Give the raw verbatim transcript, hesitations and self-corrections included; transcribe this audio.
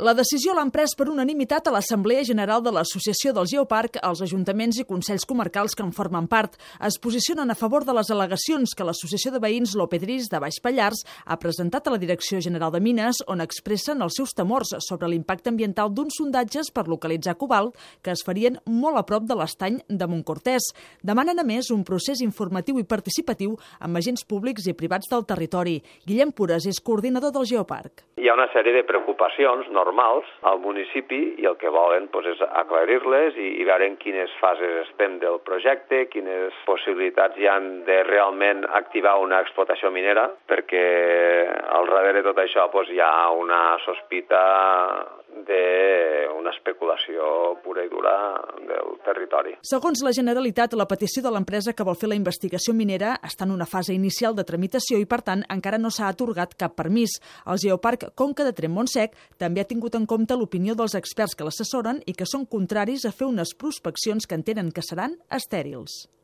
La decisió l'han pres per unanimitat a l'Assemblea General de l'Associació del Geoparc. Els ajuntaments i consells comarcals que en formen part es posicionen a favor de les al·legacions que l'Associació de Veïns Lopedrís de Baix Pallars ha presentat a la Direcció General de Mines, on expressen els seus temors sobre l'impacte ambiental d'uns sondatges per localitzar cobalt que es farien molt a prop de l'estany de Montcortès. Demanen, a més, un procés informatiu i participatiu amb agents públics i privats del territori. Guillem Pures és coordinador del Geoparc. Hi ha una sèrie de preocupacions normals al municipi i el que volen doncs, és aclarir-les i, i veure en quines fases estem del projecte, quines possibilitats hi han de realment activar una explotació minera, perquè al darrere de tot això doncs, hi ha una sospita d'una especulació pura i dura del territori. Segons la Generalitat, la petició de l'empresa que vol fer la investigació minera està en una fase inicial de tramitació i, per tant, encara no s'ha atorgat cap permís. El Geoparc Conca de Tremp-Montsec també ha tingut en compte l'opinió dels experts que l'assessoren i que són contraris a fer unes prospeccions que entenen que seran estèrils.